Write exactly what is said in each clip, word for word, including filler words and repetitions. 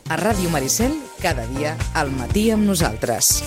A Ràdio Maricel, cada dia al matí amb nosaltres.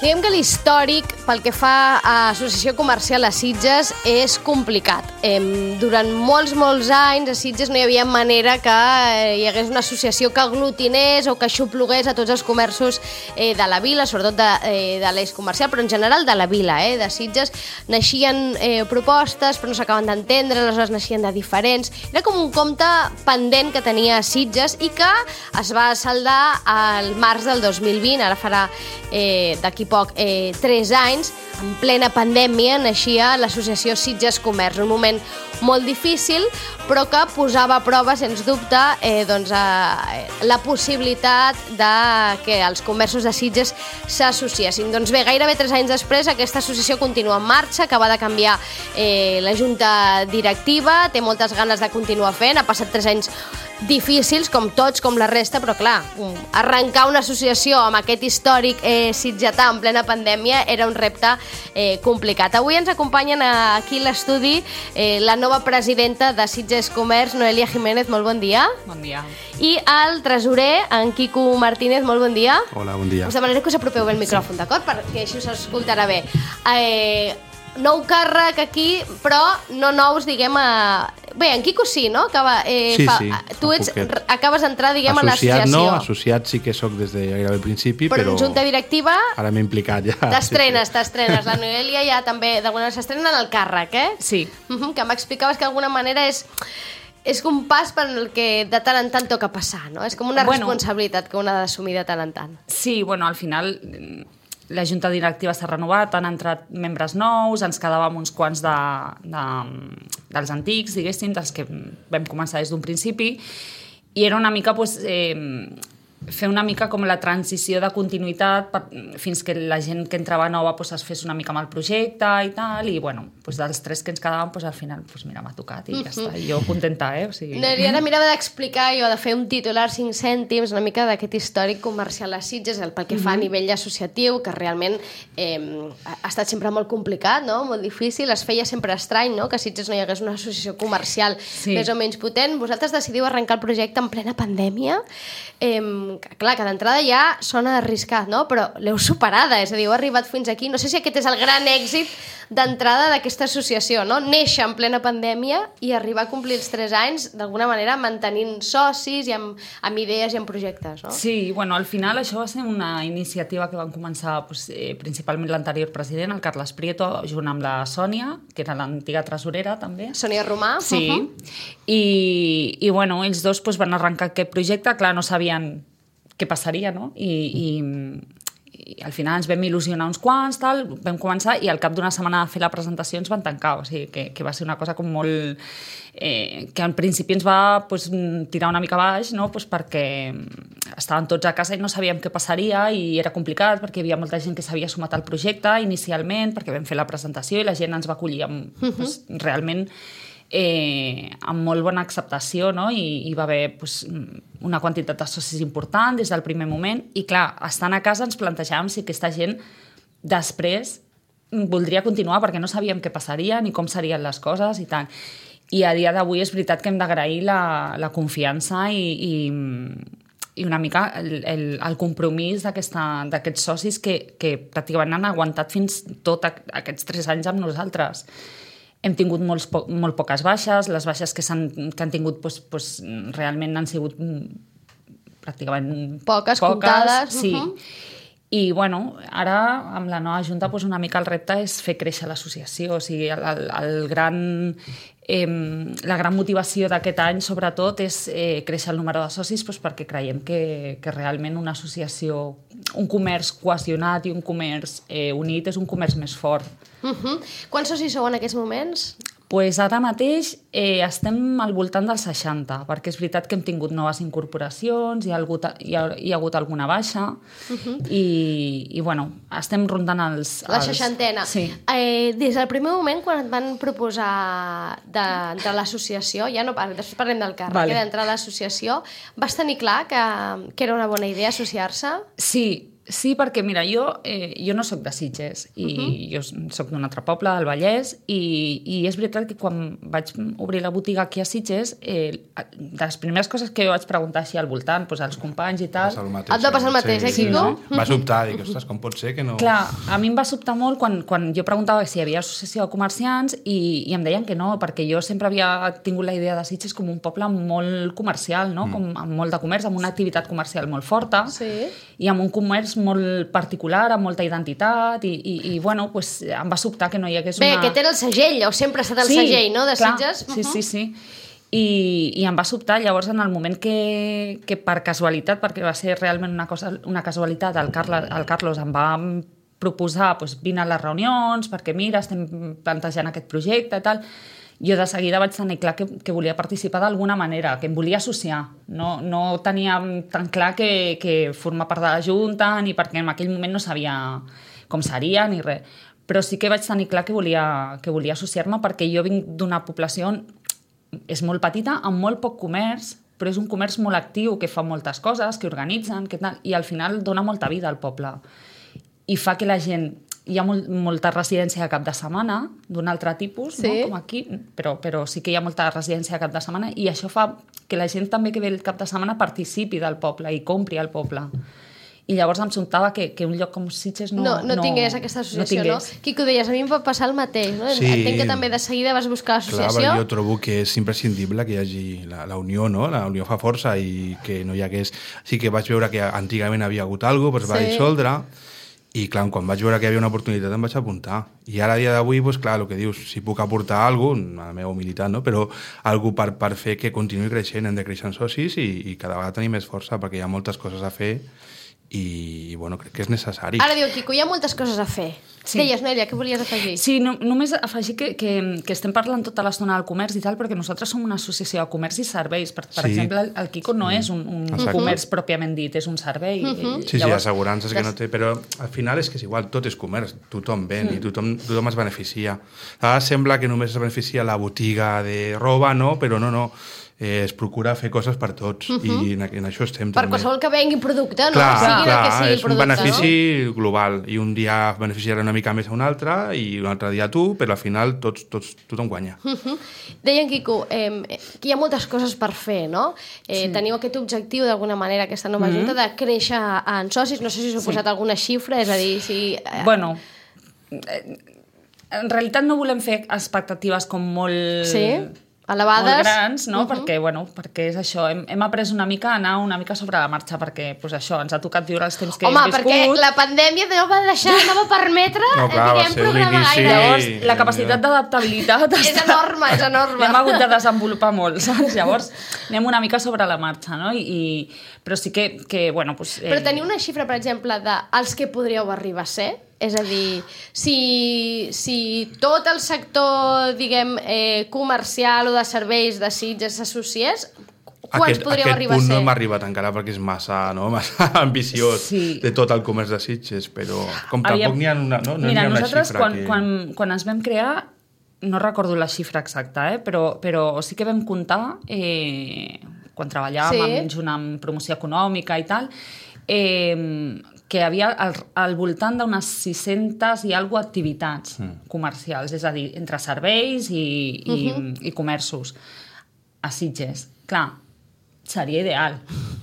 Diguem que l'històric, pel que fa a Associació Comercial a Sitges, és complicat. Eh, durant molts, molts anys a Sitges no hi havia manera que eh, hi hagués una associació que aglutinés o que aixoplugués a tots els comerços eh, de la vila, sobretot de, eh, de l'eix comercial, però en general de la vila, eh, de Sitges. Naixien eh, propostes, però no s'acaben d'entendre, aleshores naixien de diferents. Era com un compte pendent que tenia Sitges i que es va saldar al març del dos mil vint, ara farà eh, d'aquí poc, eh, tres anys, en plena pandèmia, naixia l'associació Sitges Comerç, un moment molt difícil, però que posava a prova, sens dubte, eh, doncs, eh, la possibilitat de que els comerços de Sitges s'associessin. Doncs bé, gairebé tres anys després, aquesta associació continua en marxa, acaba de canviar eh, la junta directiva, té moltes ganes de continuar fent, ha passat tres anys difícils, com tots, com la resta, però clar, arrencar una associació amb aquest històric eh, sitgetà en plena pandèmia era un repte eh, complicat. Avui ens acompanyen aquí a l'estudi eh, la nova presidenta de Sitges Comerç, Noelia Jiménez, molt bon dia. Bon dia. I el tresorer, en Quico Martínez, molt bon dia. Hola, bon dia. Us demanaré que us apropeu bé el micròfon, sí, d'acord? Perquè així s'escoltarà bé. Eh, nou càrrec aquí, però no nous, diguem, a... Bé, en Quico sí, no? Acaba, eh, sí, fa... sí. Tu ets, acabes d'entrar, diguem, associat, a l'associació. No, associat sí que sóc des de gairebé el principi, però... Però en junta directiva... Ara m'he implicat ja. T'estrenes, sí, sí. t'estrenes. La Noelia ja també, d'alguna manera, s'estrena en el càrrec, eh? Sí. Uh-huh, que m'explicaves que d'alguna manera és... És un pas per el que de tant en tant toca passar, no? És com una bueno, responsabilitat que un ha d'assumir de tant en tant. Sí, bueno, al final la junta directiva s'ha renovat, han entrat membres nous, ens quedàvem uns quants de, de, dels antics, diguéssim, dels que vam començar des d'un principi, i era una mica, pues, eh, fer una mica com la transició de continuïtat per, fins que la gent que entrava nova pues, es fes una mica amb el projecte i tal, i bueno, pues, dels tres que ens quedàvem, pues, al final pues, mira, m'ha tocat i ja està, i jo contenta, eh? O sigui... No, ara mirava d'explicar jo, de fer un titular cinc cèntims, una mica d'aquest històric comercial a Sitges, el pel que fa a nivell associatiu, que realment eh, ha estat sempre molt complicat, no? Molt difícil, es feia sempre estrany, no? Que a Sitges no hi hagués una associació comercial sí. més o menys potent. Vosaltres decidiu arrencar el projecte en plena pandèmia, eh, clar, que d'entrada ja sona arriscat, no? Però l'heu superada, és a dir, heu arribat fins aquí. No sé si aquest és el gran èxit d'entrada d'aquesta associació, no? Néixer en plena pandèmia i arribar a complir els tres anys, d'alguna manera mantenint socis i amb, amb idees i amb projectes, no? Sí, bueno, al final això va ser una iniciativa que van començar pues, eh, principalment l'anterior president, el Carles Prieto, junt amb la Sònia, que era l'antiga tresorera també. Sònia Romà. Sí, uh-huh. I, i bueno, ells dos pues, van arrencar aquest projecte, clar, no sabien què passaria, no? I, i, i al final ens vam il·lusionar uns quants, tal, vam començar i al cap d'una setmana de fer la presentació ens van tancar, o sigui, que, que va ser una cosa com molt... Eh, que al principi ens va pues, tirar una mica baix, no? Pues perquè estàvem tots a casa i no sabíem què passaria i era complicat perquè hi havia molta gent que s'havia sumat al projecte inicialment perquè vam fer la presentació i la gent ens va acollir amb, uh-huh. pues, realment... Eh, amb molt bona acceptació, no? I hi va haver pues, una quantitat de socis important des del primer moment i clar, estant a casa ens plantejàvem si aquesta gent després voldria continuar perquè no sabíem què passaria ni com serien les coses i tant. I a dia d'avui és veritat que hem d'agrair la, la confiança i, i, i una mica el, el, el compromís d'aquests socis que, que pràcticament han aguantat fins tot aquests tres anys amb nosaltres. Hem tingut molts po molt poques baixes, les baixes que, han, que han tingut pues, pues, realment han sigut pràcticament poques, poques comptades. Sí. Uh-huh. I bueno, ara amb la nova junta pues, una mica el repte és fer créixer l'associació, o sigui, el, el, el gran, eh, la gran motivació d'aquest any sobretot és eh, créixer el número de socis pues, perquè creiem que, que realment una associació, un comerç cohesionat i un comerç eh, unit és un comerç més fort. Uh-huh. Quants socis sou en aquests moments? Pues ara mateix eh, estem al voltant dels seixanta, perquè és veritat que hem tingut noves incorporacions, hi ha, hagut, hi ha, hi ha hagut alguna baixa, uh-huh. i, i bueno, estem rondant els... La els... seixantena. Sí. Eh, des del primer moment, quan et van proposar d'entrar a l'associació, ja no parlem, després parlem del càrrec, vale. d'entrar a l'associació, vas tenir clar que, que era una bona idea associar-se? Sí, sí, perquè mira, jo, eh, jo no sóc de Sitges i uh-huh. jo sóc d'un altre poble, del Vallès, i, i és veritat que quan vaig obrir la botiga aquí a Sitges, eh, de les primeres coses que jo vaig preguntar així al voltant, doncs als companys i tal... Et va passar el mateix, eh, Quico? Sí, sí. Va sobtar, dic, ostres, com pot ser que no... Clar, a mi em va sobtar molt quan, quan jo preguntava si hi havia associació de comerciants i, i em deien que no, perquè jo sempre havia tingut la idea de Sitges com un poble molt comercial, no? Mm. Com, amb molt de comerç, amb una activitat comercial molt forta, sí. i amb un comerç molt particular, amb molta identitat, i, i, i bueno, pues, em va sobtar que no hi hagués Bé, una... Bé, aquest era el segell, o sempre ha estat el sí, segell, no?, de clar, Sitges. Sí, sí, sí. I, i em va sobtar, llavors, en el moment que, que per casualitat, perquè va ser realment una, cosa, una casualitat, el, Carla, el Carlos em va proposar, pues, vine a les reunions, perquè mira, estem plantejant aquest projecte i tal... Jo de seguida vaig tenir clar que, que volia participar d'alguna manera, que em volia associar. No, no tenia tan clar que, que formar part de la Junta, ni perquè en aquell moment no sabia com seria, ni res. Però sí que vaig tenir clar que volia, que volia associar-me perquè jo vinc d'una població on és molt petita, amb molt poc comerç, però és un comerç molt actiu, que fa moltes coses, que organitzen, que tal, i al final dona molta vida al poble. I fa que la gent... Hi ha molt, molta residència de cap de setmana, d'un altre tipus, sí. no? Com aquí, però, però sí que hi ha molta residència de cap de setmana i això fa que la gent també que ve el cap de setmana participi del poble i compri al poble. I llavors em sobtava que, que un lloc com Sitges no... No, no, no tingués aquesta associació, no? no? Quico, deies, a mi em va passar el mateix, no? Sí. Entenc que també de seguida vas buscar l'associació. Clar, jo trobo que és imprescindible que hi hagi la, la unió, no? La unió fa força i que no hi hagués... Sí que vaig veure que antigament havia hagut alguna cosa, però es va sí. dissoldre. I clar, quan vaig veure que hi havia una oportunitat em vaig apuntar. I ara, a dia d'avui, doncs, clar, el que dius, si puc aportar alguna cosa, a la meva humilitat, no? Però alguna per, per fer que continuï creixent, hem de créixer en socis i, i cada vegada tenir més força, perquè hi ha moltes coses a fer i, bueno, crec que és necessari. Ara diu, Quico, hi ha moltes coses a fer. Sí. Deies, Nèlia, què volies afegir? Sí, no, només afegir que, que, que estem parlant tota l'estona del comerç i tal, perquè nosaltres som una associació de comerç i serveis. Per, per sí. exemple, el, el Quico no és un, un comerç pròpiament dit, és un servei. Uh-huh. Sí, sí, llavors, assegurances que no té, però al final és que és igual, tot és comerç, tothom ven mm. i tothom, tothom es beneficia. Ara sembla que només es beneficia la botiga de roba, no? Però no, no. Eh, es procura fer coses per tots uh-huh. i en, en això estem per també. qualsevol que vengui producte, no? Clar, sigui clar, que sigui és producte, un benefici no? global i un dia beneficiarà una mica més a un altre i un altre dia tu, però al final tots, tots, tothom guanya. Uh-huh. Deien, Quico, eh, que hi ha moltes coses per fer, no? Eh, sí. Teniu aquest objectiu d'alguna manera, aquesta nova uh-huh. junta, de créixer en socis, no sé si us heu posat sí. alguna xifra, és a dir, si... Eh... Bueno, en realitat no volem fer expectatives com molt... Sí? Elevades. Molt grans, no? Uh-huh. perquè, bueno, perquè és això, hem, hem après una mica a anar una mica sobre la marxa, perquè pues, això, ens ha tocat viure els temps que Home, hem viscut. Home, perquè la pandèmia no va deixar, no va permetre no, clar, diguem, programar gaire. Llavors, la capacitat d'adaptabilitat és enorme, és enorme. L'hem hagut de desenvolupar molt, saps? Llavors, anem una mica sobre la marxa, no? I, i, però sí que, que bueno... Pues, eh... Però teniu una xifra, per exemple, dels que podríeu arribar a ser? És a dir, si, si tot el sector, diguem, eh, comercial o de serveis de Sitges s'associés, quants aquest, podríeu aquest arribar a ser? Aquest punt no hem arribat encara perquè és massa, no? massa ambiciós sí. de tot el comerç de Sitges, però com tampoc Aviam, n'hi ha una, no? no mira, ha una nosaltres xifra quan, que... quan, quan ens vam crear, no recordo la xifra exacta, eh? però, però sí que vam comptar, eh, quan treballàvem sí. amb, junt amb promoció econòmica i tal, eh, que hi havia al, al voltant d'unes sis-centes i alguna activitats mm. comercials, és a dir, entre serveis i, i, uh-huh. i comerços a Sitges. Clar, seria ideal.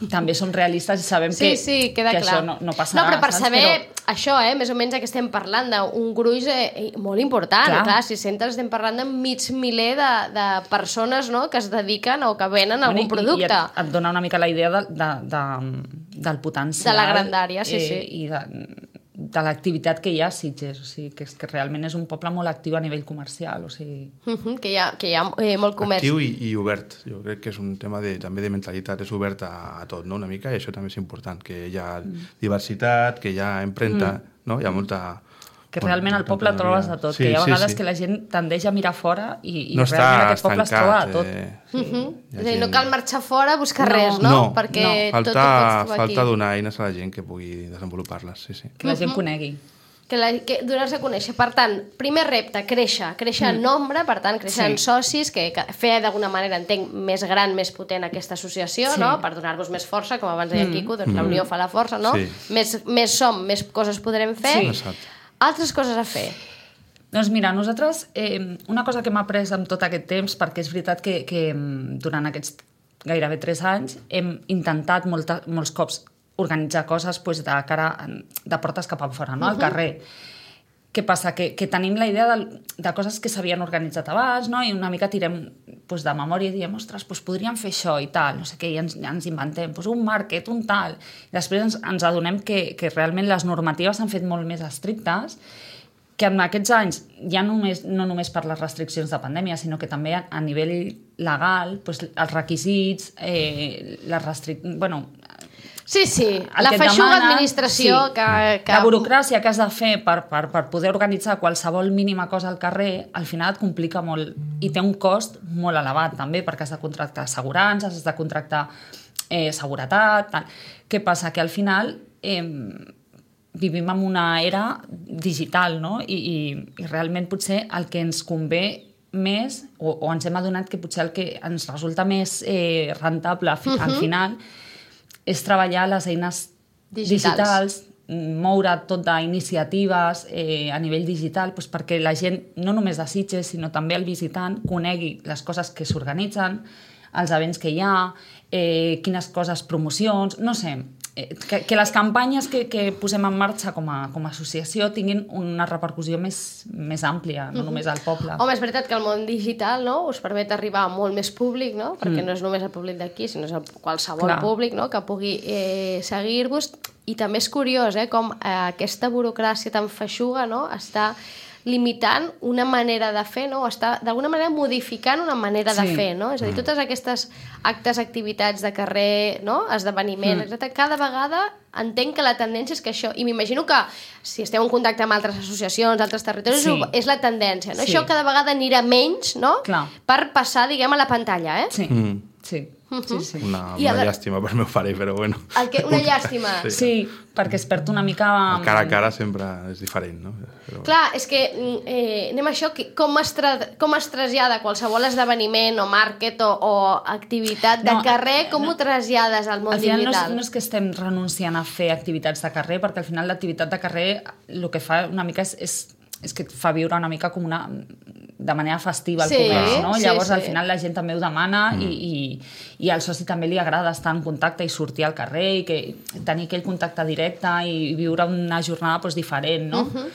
També som realistes i sabem sí, que, sí, queda que clar. això no, no passarà. No, però per saps? saber però... això, eh, més o menys que estem parlant d'un gruix eh, molt important. Clar, clar sis-centes estem parlant de mig miler de, de persones, no?, que es dediquen o que venen bueno, algun producte. I, i et, et dona una mica la idea de, de, de, del potencial. De la grandària, sí, eh, sí. I de, de l'activitat que hi ha a Sitges, o sigui, que, és, que realment és un poble molt actiu a nivell comercial, o sigui... Uh-huh, que hi ha, que hi ha eh, molt comerç. Actiu i, i obert, jo crec que és un tema de, també de mentalitat, és obert a, a tot, no?, una mica, i això també és important, que hi ha mm. diversitat, que hi ha empremta, mm. no?, hi ha molta, que realment al poble trobes de tot, sí, que hi ha sí, vegades sí. que la gent tendeix a mirar fora i, i no realment aquest poble es troba de tot. Eh, Uh -huh. hi ha És a dir, no gent- cal marxar fora a buscar No. res, no? No, Perquè no. tot Falta, ho pots trobar falta aquí. donar eines a la gent que pugui desenvolupar-les, sí, sí. Que la gent conegui. Que, la, que donar-se a conèixer. Per tant, primer repte, créixer. Créixer en nombre, per tant, créixer Sí. en socis, que, que fer d'alguna manera, entenc, més gran, més potent aquesta associació, Sí. no? Per donar-vos més força, com abans deia el Quico, doncs la unió fa la força, no? Sí. Més, més som, més coses podrem fer. Sí. Exacte. Altres coses a fer. Doncs mira, nosaltres, eh, una cosa que hem après amb tot aquest temps, perquè és veritat que, que mm, durant aquests gairebé tres anys hem intentat molta, molts cops organitzar coses pues, de cara de portes cap enfora, no? Al Uh-huh. carrer. Què passa? Que, que tenim la idea de, de coses que s'havien organitzat abans, no? I una mica tirem pues, de memòria i diem, ostres, pues, podríem fer això i tal, no sé què, i ens, ja ens inventem pues, un market, un tal. I després ens, ens adonem que, que realment les normatives s'han fet molt més estrictes, que en aquests anys, ja només, no només per les restriccions de pandèmia, sinó que també a, a nivell legal, pues, els requisits, eh, les restriccions... Bueno, Sí, sí, el la que et feixuga demana, administració sí, que, que... la burocràcia que has de fer per, per, per poder organitzar qualsevol mínima cosa al carrer, al final et complica molt i té un cost molt elevat també, perquè has de contractar assegurances, has de contractar eh, seguretat, tal. Què passa? Que al final eh, vivim en una era digital, no? I, i, i realment potser el que ens convé més, o, o ens hem adonat que potser el que ens resulta més eh, rentable fi, uh-huh. al final és treballar les eines Digitals. digitals, moure tot d'iniciatives eh, a nivell digital doncs perquè la gent, no només de Sitges, sinó també el visitant, conegui les coses que s'organitzen, els events que hi ha, eh, quines coses, promocions, no sé, eh, que, que les campanyes que, que posem en marxa com a, com a associació tinguin una repercussió més, més àmplia, no només al poble. Home, és veritat que el món digital, no?, us permet arribar a molt més públic, no?, perquè no és només el públic d'aquí, sinó és el qualsevol Clar. públic, no?, que pugui eh, seguir-vos. I també és curiós, eh, com eh, aquesta burocràcia tan feixuga, no?, està limitant una manera de fer, no?, o està d'alguna manera modificant una manera de Sí. fer, no? És a dir, totes aquestes actes, activitats de carrer, no?, esdeveniments, Mm. etcètera, cada vegada entenc que la tendència és que això, i m'imagino que si esteu en contacte amb altres associacions, altres territoris, Sí. és la tendència, no? Sí. Això cada vegada anirà menys, no?, Clar. per passar, diguem, a la pantalla, eh? Sí, Mm. sí. Sí, sí. Una, I a una la- llàstima per meu pare, però bueno. El que, una llàstima. Sí. Sí, perquè es perd una mica... El cara a cara sempre és diferent, no? Però... Clar, és que eh, anem a això, que com, es tra com es trasllada qualsevol esdeveniment o market o, o activitat de No, carrer, com no. ho trasllades al món Al final no és, digital? no és que estem renunciant a fer activitats de carrer, perquè al final l'activitat de carrer el que fa una mica és, és, és que et fa viure una mica com una de manera festiva el Sí, comerç, no? sí, Llavors sí. al final la gent també ho demana mm. i, i, i al soci també li agrada estar en contacte i sortir al carrer i que, tenir aquell contacte directe i viure una jornada doncs, diferent, no? Uh -huh.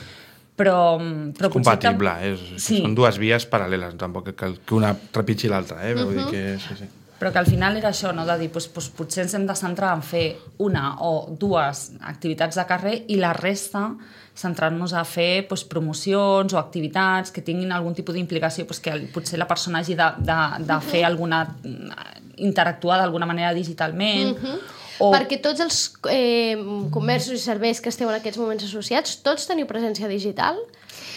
Però, però És compatible, eh? És, Sí. Són dues vies paral·leles, tampoc cal que una trepitgi l'altra, eh? Vull dir que... Sí, sí. Però que al final era això, no? De dir, doncs, doncs, potser ens hem de centrar en fer una o dues activitats de carrer i la resta centrar-nos a fer doncs, promocions o activitats que tinguin algun tipus d'implicació, doncs, que potser la persona hagi de, de, de fer alguna... interactuar d'alguna manera digitalment. Uh-huh. o... Perquè tots els eh, comerços i serveis que esteu en aquests moments associats, tots teniu presència digital?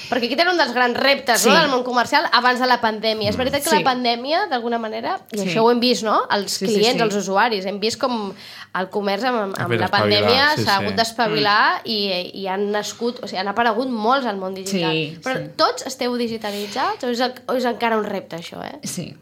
Perquè aquest era un dels grans reptes, Sí. no?, del món comercial abans de la pandèmia. És veritat que Sí. la pandèmia, d'alguna manera, i Sí. això ho hem vist, no?, els Sí, sí, clients, sí. els usuaris, hem vist com el comerç amb, Ha amb fet la espavilar, pandèmia sí, s'ha sí. hagut d'espavilar mm. i, i han nascut, o sigui, han aparegut molts al món digital. Sí, Però sí. tots esteu digitalitzats o és, o és encara un repte, això, eh? Sí,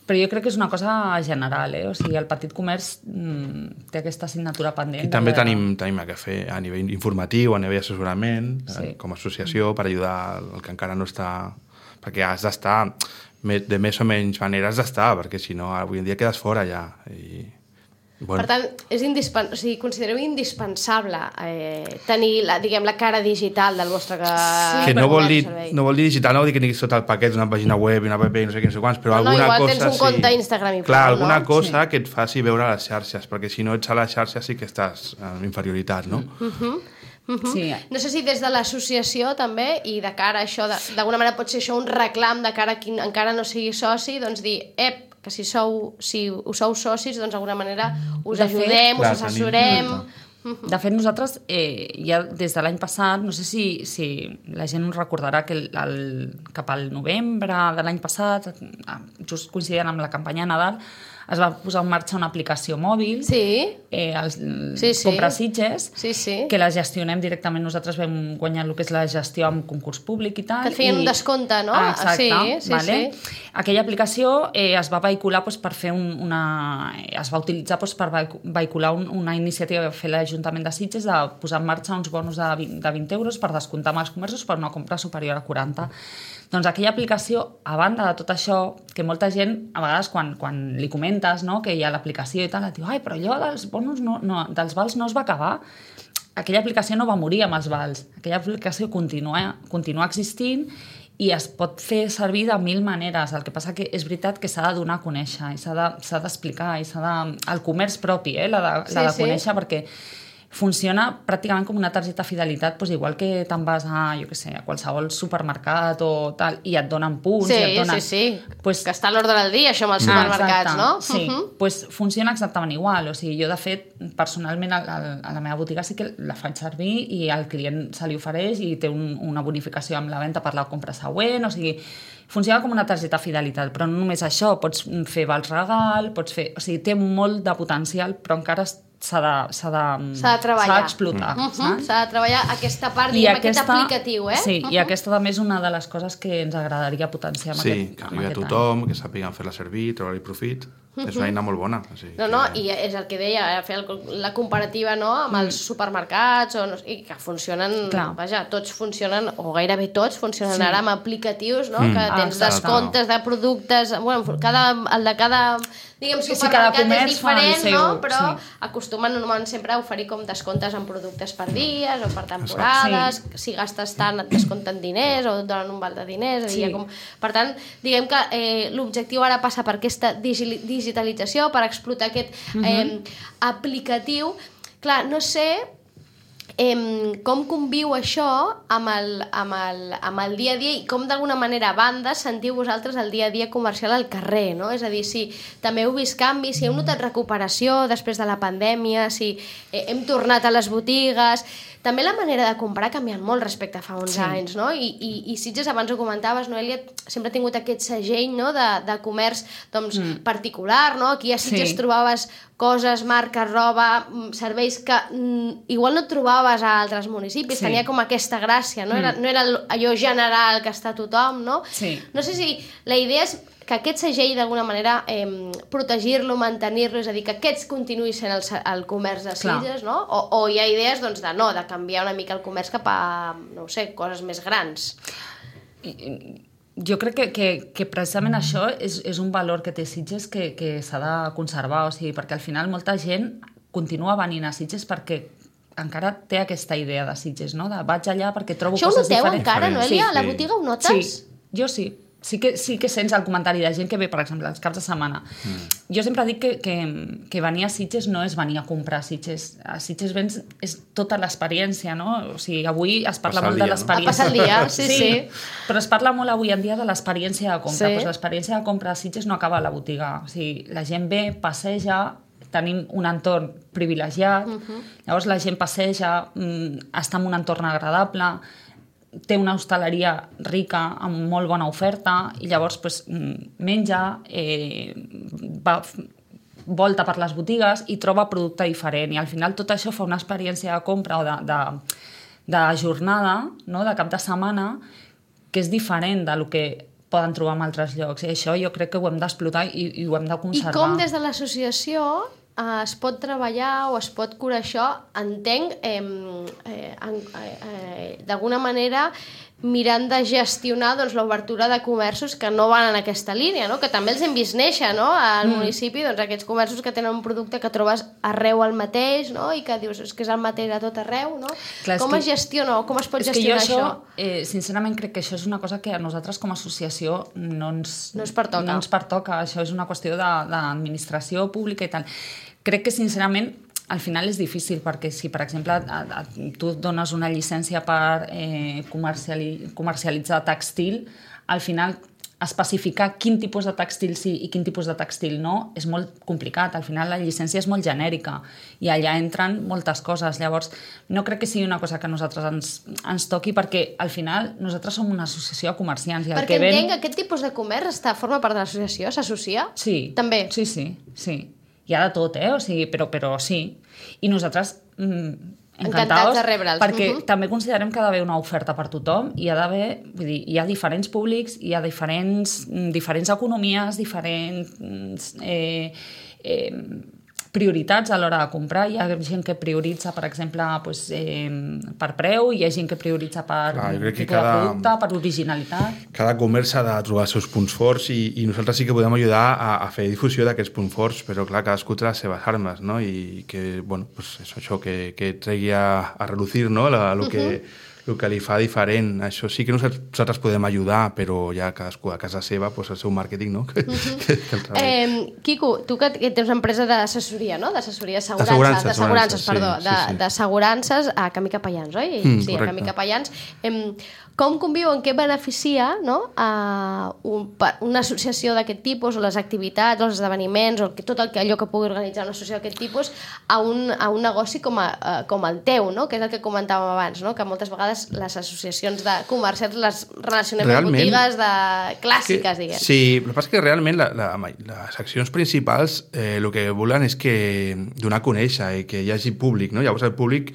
però jo crec que és una cosa general, eh? O sigui, el petit comerç mm, té aquesta assignatura pendent. I també de... tenim, tenim que fer a nivell informatiu, a nivell assessorament, Sí. eh, com a associació, per ajudar el que encara no està... Perquè has d'estar, me- de més o menys manera has d'estar, perquè si no, avui en dia quedes fora ja. I, bueno, Per tant, és indispens... o sigui, considereu indispensable eh, tenir, la, diguem, la cara digital del vostre que... que no vol, dir, servei. no vol dir digital, no vol dir que tinguis tot el paquet d'una pàgina web i una app i no sé què, no sé quants, però No, no, alguna igual cosa... tens un sí. compte Instagram i Clar, prou, alguna no? cosa sí. que et faci veure a les xarxes, perquè si no ets a les xarxes sí que estàs en inferioritat, no? Uh-huh. Uh-huh. Sí. No sé si des de l'associació també, i de cara a això, de- d'alguna manera pot ser això un reclam de cara a qui encara no sigui soci, doncs dir, ep, que si sou, si us sou socis, doncs d'alguna manera us De fet, ajudem, clar, us tenim- assessorem... Clar. De fet, nosaltres, eh, ja des de l'any passat, no sé si, si la gent recordarà que el, el, cap al novembre de l'any passat, just coincidint amb la campanya de Nadal, es va posar en marxa una aplicació mòbil, sí. eh, els sí, sí. Compra Sitges, sí, sí. que la gestionem directament. Nosaltres vam guanyar el que és la gestió amb concurs públic i tal. Que et feien i... un descompte, no? Ah, exacte. Sí, sí, vale? sí. Aquella aplicació eh, es va vehicular doncs, per fer un, una... es va utilitzar doncs, per vehicular un, una iniciativa que va fer l'Ajuntament de Sitges de posar en marxa uns bonus de vint, de vint euros per descomptar amb els comerços per una compra superior a quaranta. Doncs aquella aplicació, a banda de tot això, que molta gent, a vegades, quan, quan li comentes, no, que hi ha l'aplicació i tal, et diu, ai, però allò dels bonus, no, no, dels vals no es va acabar. Aquella aplicació no va morir amb els vals. Aquella aplicació continua, continua existint i es pot fer servir de mil maneres. El que passa que és veritat que s'ha de donar a conèixer, i s'ha de, s'ha d'explicar, i s'ha de... El comerç propi, eh, l'ha de, sí, l'ha de sí. conèixer, perquè funciona pràcticament com una targeta de fidelitat, doncs igual que te'n vas a, jo què sé, a qualsevol supermercat o tal, i et donen punts, sí, i et donen... Sí, sí, pues... que està a l'ordre del dia, això amb els supermercats, ah, no? Sí, uh -huh. pues funciona exactament igual. O sigui, jo, de fet, personalment, a, a la meva botiga sí que la faig servir i al client se li ofereix i té un, una bonificació amb la venda per la compra següent, o sigui, funciona com una targeta de fidelitat, però no només això, pots fer vals regal, pots fer... O sigui, té molt de potencial, però encara s'ha de, s'ha de, s'ha de treballar. S'ha d'explotar. Uh -huh. S'ha de treballar aquesta part, I diguem, aquesta, aquest aplicatiu, eh? Sí, uh -huh. i aquesta també és una de les coses que ens agradaria potenciar amb sí, aquest, que arribi a tothom, any. Que sàpiguen fer-la servir, treure-hi profit. Uh -huh. És una eina molt bona. O sigui, no, no, que... i és el que deia, fer el, la comparativa, no?, amb els supermercats, o no, i que funcionen, clar. Vaja, tots funcionen, o gairebé tots funcionen sí. ara amb aplicatius, no?, mm. que tens ah, descomptes de productes, bueno, cada, el de cada... diguem, supermercat sí, és diferent, seu, no? Però sí. acostumen normalment sempre a oferir com descomptes en productes per dies o per temporades, sí. si gastes tant et descompten diners o et donen un val de diners, sí. com... per tant, diguem que eh, l'objectiu ara passa per aquesta digi digitalització, per explotar aquest eh, uh-huh. aplicatiu. Clar, no sé... Eh, com conviu això amb el, amb, el, amb el dia a dia i com d'alguna manera a banda sentiu vosaltres el dia a dia comercial al carrer, no? És a dir, si també heu vist canvis, si heu notat recuperació després de la pandèmia, si eh, hem tornat a les botigues... També la manera de comprar ha canviat molt respecte a fa uns sí. anys, no? I, i, i Sitges, abans ho comentaves, Noelia, sempre ha tingut aquest segell, no?, de, de comerç doncs, mm. particular, no? Aquí a Sitges sí. trobaves coses, marques, roba, serveis que mm, igual no trobaves a altres municipis, sí. tenia com aquesta gràcia, no? Mm. Era, no era allò general que està a tothom, no? Sí. No sé si la idea és que aquest segell d'alguna manera eh, protegir-lo, mantenir-lo, és a dir, que aquests continuï sent el, el comerç de Sitges, no? O, o hi ha idees doncs, de no, de canviar una mica el comerç cap a, no ho sé, coses més grans. Jo crec que, que, que precisament això és, és un valor que té Sitges que, que s'ha de conservar, o sigui, perquè al final molta gent continua venint a Sitges perquè encara té aquesta idea de Sitges, no? De vaig allà perquè trobo això coses diferents. Això ho noteu encara, Noelia? Sí, a la botiga ho notes? Sí, jo sí. Sí que, sí que sents el comentari de gent que ve, per exemple, els caps de setmana. Mm. Jo sempre dic que, que, que venir a Sitges no és venir a comprar a Sitges. A Sitges vens és tota l'experiència, no? O sigui, avui es parla passar molt dia, de l'experiència. No? A passar el dia, sí, sí, sí. Però es parla molt avui en dia de l'experiència de compra. Sí. Pues l'experiència de compra a Sitges no acaba a la botiga. O sigui, la gent ve, passeja, tenim un entorn privilegiat, uh-huh. llavors la gent passeja, està en un entorn agradable, té una hostaleria rica amb molt bona oferta i llavors pues, menja, eh, va, volta per les botigues i troba producte diferent i al final tot això fa una experiència de compra o de, de, de jornada, no? De cap de setmana que és diferent del que poden trobar en altres llocs i això jo crec que ho hem d'explotar i, i ho hem de conservar. I com des de l'associació eh, es pot treballar o es pot curar això, entenc, eh, eh, eh, eh, d'alguna manera mirant de gestionar doncs, l'obertura de comerços que no van en aquesta línia, no? Que també els hem vist néixer, no? Al mm. municipi, doncs, aquests comerços que tenen un producte que trobes arreu el mateix, no? I que dius és que és el mateix a tot arreu, no? Clar, com es que, gestiona o com es pot gestionar això? això? Eh, sincerament crec que això és una cosa que a nosaltres com a associació no ens, no ens pertoca. No ens pertoca. Això és una qüestió d'administració pública i tal. Crec que sincerament al final és difícil perquè si, per exemple, a, a, tu dones una llicència per eh, comerciali, comercialitzar textil, al final especificar quin tipus de tèxtil sí i quin tipus de tèxtil no és molt complicat. Al final la llicència és molt genèrica i allà entren moltes coses. Llavors, no crec que sigui una cosa que a nosaltres ens, ens toqui perquè al final nosaltres som una associació de comerciants. I el perquè que ven... entenc que aquest tipus de comerç està, forma part de l'associació, s'associa? Sí. També? Sí, sí, sí. Hi ha de tot, eh? O sigui, però, però sí. I nosaltres... Mm, encantats de rebre'ls. Perquè uh -huh. també considerem que ha d'haver una oferta per tothom i hi ha d'haver, vull dir, hi ha diferents públics, hi ha diferents, diferents economies, diferents eh, eh, prioritats a l'hora de comprar. Hi ha gent que prioritza, per exemple, pues, eh, per preu, hi ha gent que prioritza per Clar, jo crec que tipus cada... de producte, per originalitat. Cada comerç ha de trobar els seus punts forts i, i nosaltres sí que podem ajudar a, a fer difusió d'aquests punts forts, però clar, cadascú té les seves armes, no? I que, bueno, pues és això, que, que tregui a, a reducir, no? La, lo que... Uh-huh. el que li fa diferent. Això sí que nosaltres podem ajudar, però ja cadascú a casa seva, pues, el seu màrqueting, no? Que, uh-huh. que, que el eh, Quico, tu que, que tens una empresa d'assessoria, no? D'assessoria d'assegurances, d'assegurances, perdó, sí, de, sí, sí. d'assegurances a Camí Capellans, oi? Mm, sí, correcte. a Camí Capellans. Eh, com conviu, en què beneficia, no? a un, una associació d'aquest tipus, o les activitats, els esdeveniments, o tot el que, allò que pugui organitzar una associació d'aquest tipus, a un, a un negoci com, a, com el teu, no? Que és el que comentàvem abans, no? Que moltes vegades les associacions de comerciants les relacionem amb botigues de clàssiques, que, diguem. Sí, el que passa és que realment la, la, les accions principals eh, el que volen és que donar a conèixer i que hi hagi públic, no? Llavors el públic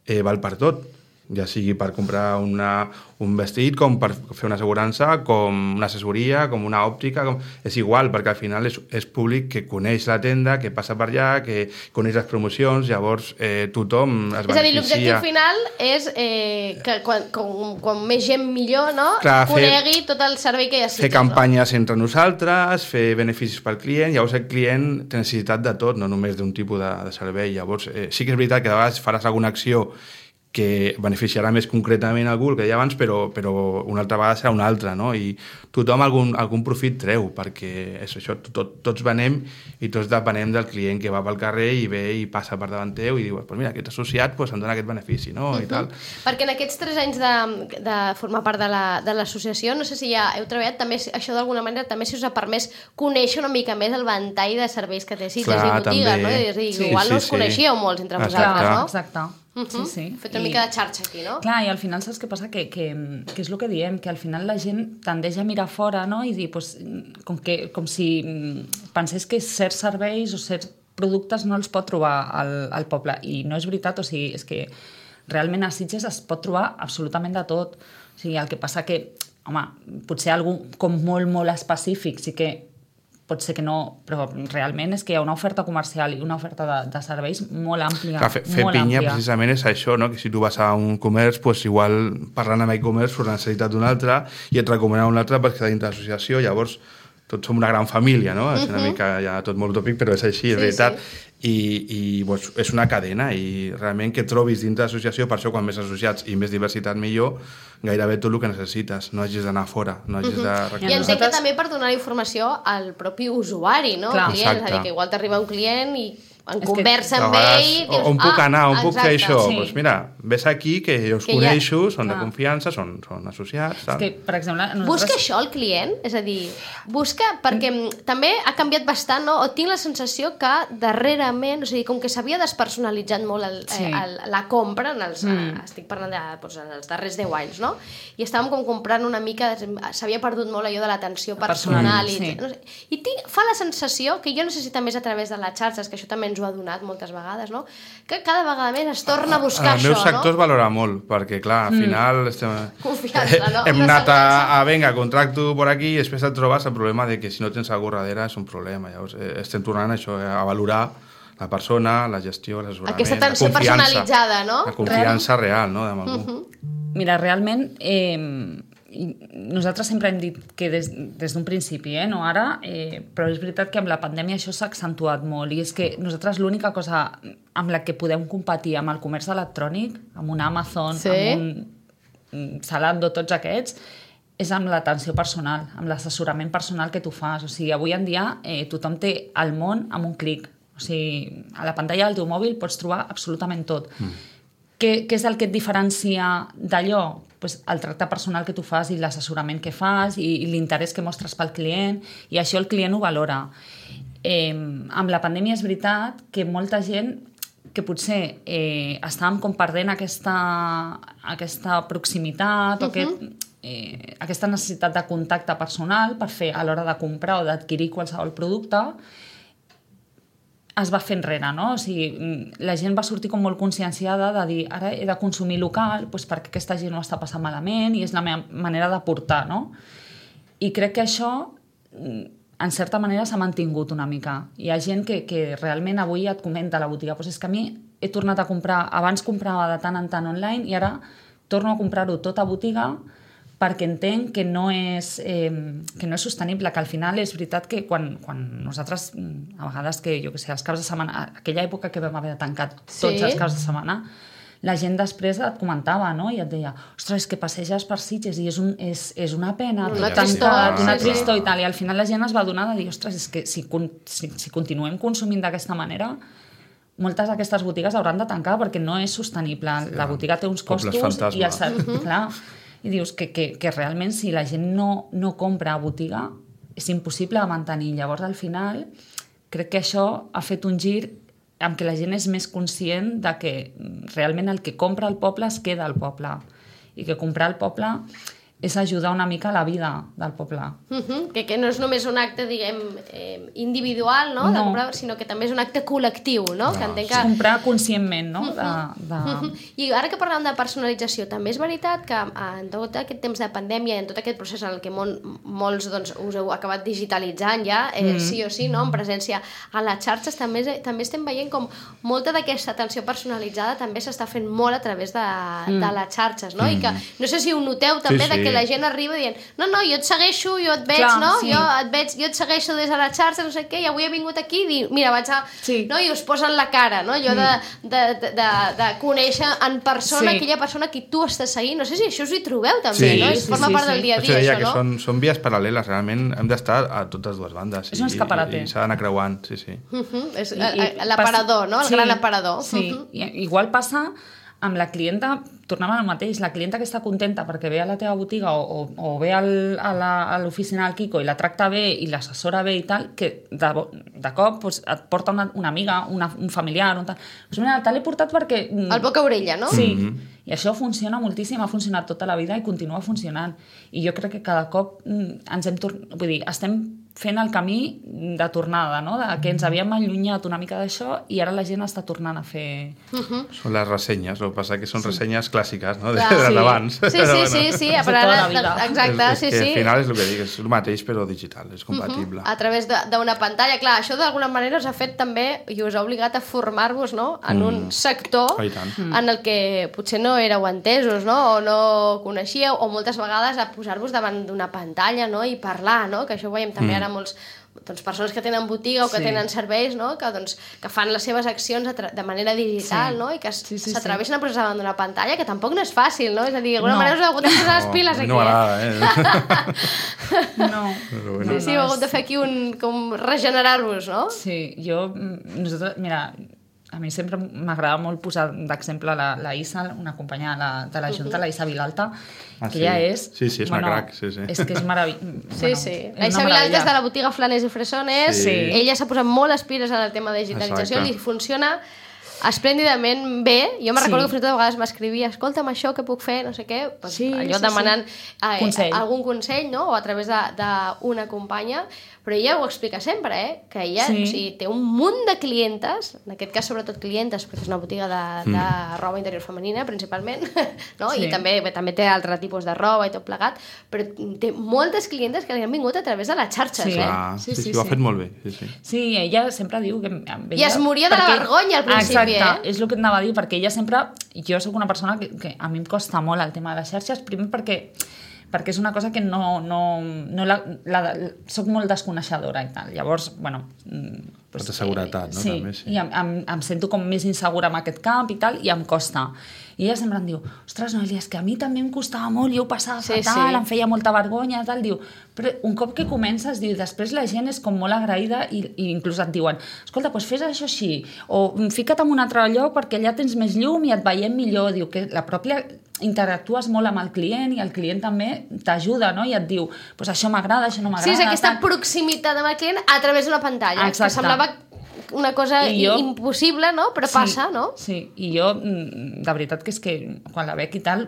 eh, val per tot, ja sigui per comprar una, un vestit, com per fer una assegurança, com una assessoria, com una òptica, com... és igual, perquè al final és, és públic que coneix la tenda, que passa per allà, que coneix les promocions, llavors eh, tothom es beneficia. És a dir, l'objectiu final és eh, que quan, quan, quan més gent millor, no? Clar, conegui fer, tot el servei que hi ha. Fer campanyes no? entre nosaltres, fer beneficis pel client, llavors el client té necessitat de tot, no només d'un tipus de, de servei. Llavors eh, sí que és veritat que de vegades faràs alguna acció que beneficiarà més concretament algú, el que deia abans, però, però una altra vegada serà una altra, no? I tothom algun, algun profit treu, perquè és això, tot, tots venem i tots depenem del client que va pel carrer i ve i passa per davant teu i diu, pues mira, aquest associat pues, em dona aquest benefici, no? Uh-huh. I tal. Perquè en aquests tres anys de, de formar part de l'associació, la, de no sé si ja heu treballat, també això d'alguna manera també si us ha permès conèixer una mica més el ventall de serveis que té Sitges i botigues, també. No? És a dir, sí, igual sí, no us sí. coneixíeu molts entre vosaltres, no? Exacte. Uh-huh. Sí, sí. Fet una I... mica de xarxa aquí, no? Clar, i al final saps què passa? Que, que, que és el que diem, que al final la gent tendeix a mirar fora, no? I dir, pues, com, que, com si pensés que certs serveis o certs productes no els pot trobar al, al poble. I no és veritat, o sigui, és que realment a Sitges es pot trobar absolutament de tot. O sigui, el que passa que, home, potser algú com molt, molt específic sí que pot ser que no, però realment és que hi ha una oferta comercial i una oferta de, de serveis molt àmplia. Clar, fer fer molt pinya àmplia. Precisament és això, no? Que si tu vas a un comerç, pues, igual parlant amb e-commerce surt la necessitat d'un altre i et recomana un altre perquè està dintre l'associació, llavors tots som una gran família, no? És una mica ja tot molt utòpic, però és així, és sí, veritat. Sí. I, i pues, és una cadena i realment que trobis dintre l'associació, per això quan més associats i més diversitat millor, gairebé tot el que necessites, no hagis d'anar fora, no hagis de reclamar. I entenc que també per donar informació al propi usuari, no? Clar, client, és a dir, que igual t'arriba un client i en és conversa amb vegades, ell... Dius, on puc ah, anar, on exacte. Puc fer això? Sí. Pues mira, ves aquí, que jo us que coneixo, ja... són Clar. de confiança, són, són associats. Tal. És que, per exemple... Nosaltres... Busca això el client? És a dir, busca... Perquè mm. també ha canviat bastant, no? O tinc la sensació que darrerament, o sigui, com que s'havia despersonalitzat molt el, sí. eh, el, la compra, en els, mm. eh, estic parlant de, doncs, en els darrers deu anys, no? I estàvem com comprant una mica... S'havia perdut molt allò de l'atenció personal. I, sí. no sé, i tinc, fa la sensació, que jo no sé si també és a través de les xarxes, que això també ens ho ha donat moltes vegades, no? Que cada vegada més es torna a buscar això, no? El meu sector es valora molt, perquè, clar, al final mm. estem... Confiança, no? Hem anat a, a, venga, contracto por aquí, i després et trobes el problema de que si no tens algú darrere és un problema. Llavors, eh, estem tornant això, eh, a valorar la persona, la gestió, l'assessorament, aquesta atenció personalitzada, no? La confiança real, no?, amb algú. Uh-huh. Mira, realment... Eh, nosaltres sempre hem dit que des, des d'un principi, eh, no ara, eh, però és veritat que amb la pandèmia això s'ha accentuat molt i és que nosaltres l'única cosa amb la que podem competir amb el comerç electrònic, amb un Amazon, sí. amb un Zalando, tots aquests, és amb l'atenció personal, amb l'assessorament personal que tu fas. O sigui, avui en dia eh, tothom té el món amb un clic. O sigui, a la pantalla del teu mòbil pots trobar absolutament tot. Mm. què, què és el que et diferencia d'allò? Pues el tracte personal que tu fas i l'assessorament que fas i, i l'interès que mostres pel client, i això el client ho valora. Eh, amb la pandèmia és veritat que molta gent que potser eh, estàvem com perdent aquesta, aquesta proximitat uh-huh. o aquest, eh, aquesta necessitat de contacte personal per fer a l'hora de comprar o d'adquirir qualsevol producte, es va fer enrere, no? O sigui, la gent va sortir com molt conscienciada de dir ara he de consumir local doncs perquè aquesta gent ho està passant malament i és la meva manera de portar, no? I crec que això en certa manera s'ha mantingut una mica. Hi ha gent que, que realment avui et comenta a la botiga doncs és que a mi he tornat a comprar, abans comprava de tant en tant online i ara torno a comprar-ho tot a botiga perquè entenc que no és, eh, que no és sostenible, que al final és veritat que quan, quan nosaltres, a vegades que, jo què sé, els caps de setmana, aquella època que vam haver de tancar tots sí. els caps de setmana, la gent després et comentava, no? I et deia, ostres, és que passeges per Sitges i és, un, és, és una pena, una tot tancat, una sí, tristor sí. i tal, i al final la gent es va adonar de dir, ostres, és que si, si, si continuem consumint d'aquesta manera, moltes d'aquestes botigues hauran de tancar perquè no és sostenible. Sí, la botiga té uns costos i el, uh-huh. clar, i dius que, que, que realment si la gent no, no compra a botiga és impossible mantenir. Llavors, al final, crec que això ha fet un gir amb què la gent és més conscient de que realment el que compra al poble es queda al poble i que comprar al poble és ajudar una mica a la vida del poble. Uh-huh. que, que no és només un acte, diguem, eh, individual, no? No. De comprar, sinó que també és un acte col·lectiu, no? no que entenc que... És comprar conscientment, no? De, de... Uh-huh. I ara que parlem de personalització, també és veritat que en tot aquest temps de pandèmia i en tot aquest procés en el que mol, molts doncs, us heu acabat digitalitzant ja, eh, mm. sí o sí, no? En presència a les xarxes, també, també estem veient com molta d'aquesta atenció personalitzada també s'està fent molt a través de, mm. de les xarxes, no? Mm. I que no sé si ho noteu també, sí, sí. de que la gent arriba dient, no, no, jo et segueixo, jo et veig, Clar, no? Sí. Jo et veig, jo et segueixo des de la xarxa, no sé què, i avui he vingut aquí i dir, mira, vaig a... Sí. No? I us posen la cara, no? Jo de, de, de, de, de conèixer en persona Sí. aquella persona que tu estàs seguint. No sé si això us hi trobeu també, Sí. no? És Sí, forma sí, part sí. del dia a Això dia, deia això, que no? són, són vies paral·leles, realment hem d'estar a totes dues bandes. És un escaparate. I, i s'ha d'anar creuant, sí, sí. Uh -huh. És I- i l'aparador, no? El sí, gran aparador. Sí, Uh -huh. I, igual passa amb la clienta, tornem al mateix, la clienta que està contenta perquè ve a la teva botiga o, o, o ve al, a l'oficina del Quico i la tracta bé i l'assessora bé i tal, que de, de cop pues, et porta una, una amiga, una, un familiar, un tal. Pues mira, te l'he portat perquè... El boca-orella, no? Sí, Mm-hmm. i això funciona moltíssim, ha funcionat tota la vida i continua funcionant. I jo crec que cada cop ens hem tornat... Vull dir, estem fent el camí de tornada, no? De que ens havíem allunyat una mica d'això i ara la gent està tornant a fer... Uh-huh. Són les ressenyes, el que passa que són sí. ressenyes clàssiques, no? Clar, de, sí. d'abans. Sí, sí, Però, sí, sí, De però tota ara... la vida. Exacte, és, és sí, que sí. al final és el que dic, és el mateix però digital, és compatible. Uh-huh. A través de- d'una pantalla. Clar, això d'alguna manera us ha fet també i us ha obligat a formar-vos, no? En un Mm. sector Ah, i tant. en el que potser no éreu entesos, no? O no coneixíeu, o moltes vegades a posar-vos davant d'una pantalla, no? I parlar, no? Que això ho veiem també Mm. ara molts doncs, persones que tenen botiga o que Sí. tenen serveis, no? que, doncs, que fan les seves accions a tra- de manera digital, Sí. no? I que Sí, sí, s'atreveixen a posar davant d'una pantalla, que tampoc no és fàcil, no? És a dir, d'alguna No. manera us heu hagut de posar les piles a mi aquí. no m'agrada, eh? No. Però eh? bueno. Sí, sí, heu hagut de fer aquí un... com regenerar-vos, no? Sí, jo... Nosaltres, mira, a mi sempre m'agrada molt posar d'exemple la, la Isa, una companya de la, de la Junta, la Isa Vilalta, Ah, que sí. ella és... Sí, sí, és una crac, sí, sí. És que és meravellós. Sí, sí. La Isa Vilalta és de la botiga Flanes i Fresones. Sí. Ella s'ha posat molt les piles en el tema de digitalització, Exacte. li funciona esplèndidament bé. Jo me recordo Sí. que fins i tot a vegades m'escrivia, escolta'm, això què puc fer, no sé què, pues, Sí, allò sí, demanant eh, Consell. algun consell, no? O a través d'una companya, però ella ho explica sempre, eh? Que ella Sí. o sigui, té un munt de clientes, en aquest cas sobretot clientes, perquè és una botiga de, de Mm. roba interior femenina, principalment, no? Sí. I també, bé, també té altre tipus de roba i tot plegat, però té moltes clientes que li han vingut a través de les xarxes, Sí. eh? Clar, Sí, sí, sí, sí, ho ha sí. fet molt bé. Sí, sí. Sí, ella sempre diu que... Amb ella, I es moria de la vergonya al principi, Exacte, eh? és el que et anava a dir, perquè ella sempre... Jo sóc una persona que, que a mi em costa molt el tema de les xarxes, primer perquè perquè és una cosa que no... no, no la, la, la, soc molt desconeixedora i tal. Llavors, bueno... Pues, de seguretat, no? Sí, També, sí. i em, em, em sento com més insegura en aquest camp i tal, i em costa. I ella sempre em diu, ostres, Noelia, és que a mi també em costava molt, jo ho passava sí, fatal, sí. em feia molta vergonya, tal, diu, però un cop que comences, diu, després la gent és com molt agraïda i, i inclús et diuen, escolta, doncs fes això així, o fica't en un altre lloc perquè allà tens més llum i et veiem millor, diu, que la pròpia interactues molt amb el client i el client també t'ajuda, no? I et diu, pues això m'agrada, això no m'agrada. Sí, és aquesta tal. proximitat amb el client a través d'una pantalla, Exacte. que semblava una cosa jo, impossible, no? Però sí, passa, no? Sí, i jo, de veritat que és que quan la veig i tal,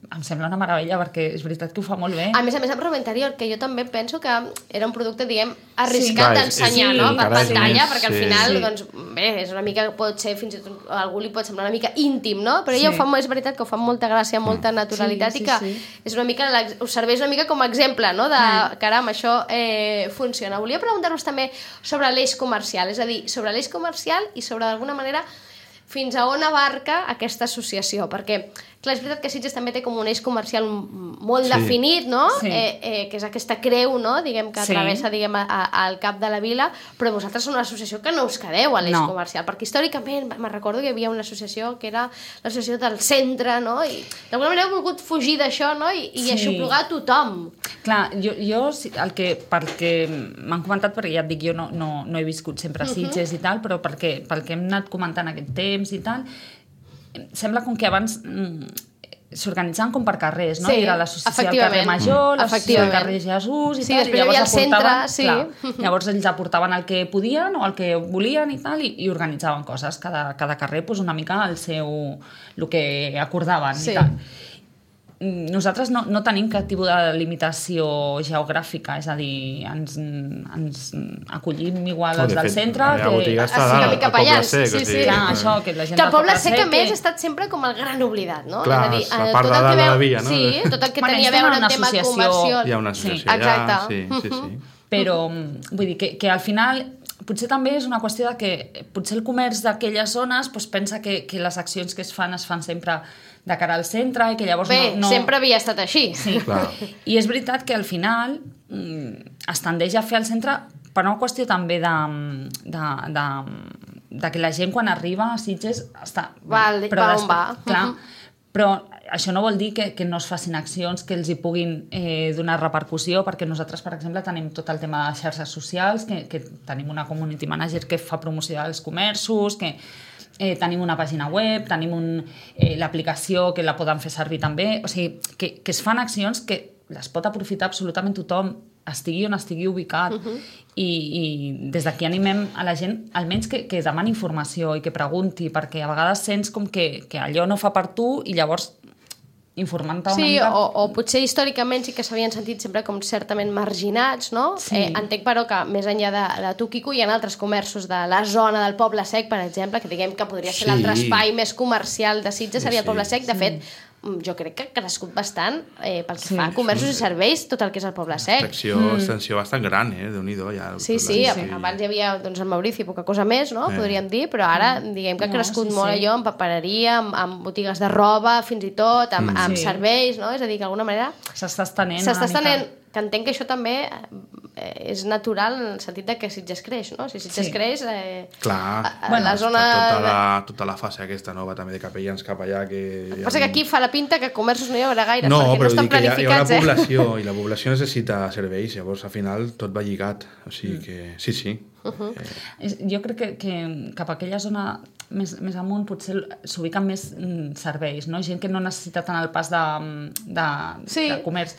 em sembla una meravella, perquè és veritat que ho fa molt bé. A més a més, amb roba interior, que jo també penso que era un producte, diguem, arriscat sí. d'ensenyar, sí, no? Per pantalla, més, perquè al sí. final, Sí. doncs, bé, és una mica, pot ser, fins i tot a algú li pot semblar una mica íntim, no? Però Sí. ella ho fa, és veritat que ho fa amb molta gràcia, amb molta naturalitat, Sí, sí, i que sí. és una mica, us serveix una mica com a exemple, no? De, caram, això eh, funciona. Volia preguntar-vos també sobre l'eix comercial, és a dir, sobre l'eix comercial i sobre, d'alguna manera, fins a on abarca aquesta associació, perquè, clar, és veritat que Sitges també té com un eix comercial molt Sí. definit, no? Sí. Eh, eh, que és aquesta creu, no? Diguem, que Sí. travessa, diguem, a, a, al cap de la vila, però vosaltres sou una associació que no us quedeu a l'eix No. comercial, perquè històricament me'n recordo que hi havia una associació que era l'associació del centre, no? I d'alguna manera heu volgut fugir d'això, no? I, i Sí. aixoplugar a tothom. Clar, jo, jo sí, el que, perquè m'han comentat, perquè ja et dic, jo no, no, no he viscut sempre a Sitges i tal, però perquè, pel que hem anat comentant aquest temps i tal, sembla com que abans mm, s'organitzaven com per carrers, no? Sí, I era l'associació del efectivament. carrer Major, l'associació del Efectivament. carrer Jesús i Sí, tal, després i llavors hi havia el centre, aportaven, sí. clar, llavors ells aportaven el que podien o el que volien i tal, i, i organitzaven coses, cada, cada carrer pues, una mica el seu, el que acordaven Sí. i tal. Nosaltres no, no tenim cap tipus de limitació geogràfica, és a dir, ens, ens acollim igual No, als de del fet, centre... la meva botiga està Sí, una al- mica al Poble pallans, Sec, sí, o sí. sigui, Clar, això, que la gent Que el del Poble Poble Sec, a Sec, més, que- ha estat sempre com el gran oblidat, no? Clar, és a dir, és la eh, part tot de el dalt que de la veu, via, no? Sí, tot el que Bueno, tenia a ells veure tenen amb tema una associació. comercial. Hi ha una associació Sí. allà, Exacte. sí, sí, sí. Però, vull dir, que, que al final potser també és una qüestió de que potser el comerç d'aquelles zones doncs, pensa que, que les accions que es fan es fan sempre de cara al centre i que llavors Bé, no... no... sempre havia estat així. Sí, Clar. i és veritat que al final mm, es tendeix a fer al centre per una qüestió també de, de, de, de que la gent quan arriba a Sitges està... Val, va on va. Clar, Mhm. però això no vol dir que, que no es facin accions que els hi puguin eh, donar repercussió, perquè nosaltres, per exemple, tenim tot el tema de xarxes socials, que, que tenim una community manager que fa promoció dels comerços, que eh, tenim una pàgina web, tenim un, eh, l'aplicació que la poden fer servir també, o sigui, que, que es fan accions que les pot aprofitar absolutament tothom, estigui on estigui ubicat. Uh-huh. I, i des d'aquí animem a la gent almenys que, que demani informació i que pregunti, perquè a vegades sents com que, que allò no fa per tu i llavors informant-te una Sí, mica... o, o potser històricament sí que s'havien sentit sempre com certament marginats, no? Sí. Eh, entenc, però, que més enllà de, de tu, Quico, hi ha altres comerços de la zona del Poble Sec, per exemple, que diguem que podria ser Sí. l'altre espai més comercial de Sitges, seria el Sí. Poble Sec. De fet, jo crec que ha crescut bastant eh, pel que Sí. fa a comerços i serveis, tot el que és el Poble Sec. Extensió, mm. extensió bastant gran, eh? Déu-n'hi-do. Ja, Sí, sí, la- sí, abans hi havia doncs, el Maurici, poca cosa més, no? Eh. Podríem dir, però ara diguem que ha No, crescut sí, molt sí. allò amb papereria, amb, amb botigues de roba, fins i tot, amb, amb Sí. serveis, no? És a dir, que d'alguna manera S'està estenent s'està una mica. estenent, que entenc que això també eh, és natural en el sentit de que Sitges creix, no? Si Sitges Sí. creix, eh, Clar, a, a Bueno, la està zona... tota, la, tota la fase aquesta nova també de capellans cap allà que... El que passa que aquí fa la pinta que comerços no hi haurà gaire, No, perquè però no estan dic que hi ha, hi ha una planificats, eh? població i la població necessita serveis, llavors al final tot va lligat, o sigui que sí, sí. Uh-huh. És- Jo crec que, que cap a aquella zona més, més amunt potser s'ubiquen més mm, serveis, no? Gent que no necessita tant el pas de, de, Sí. de comerç.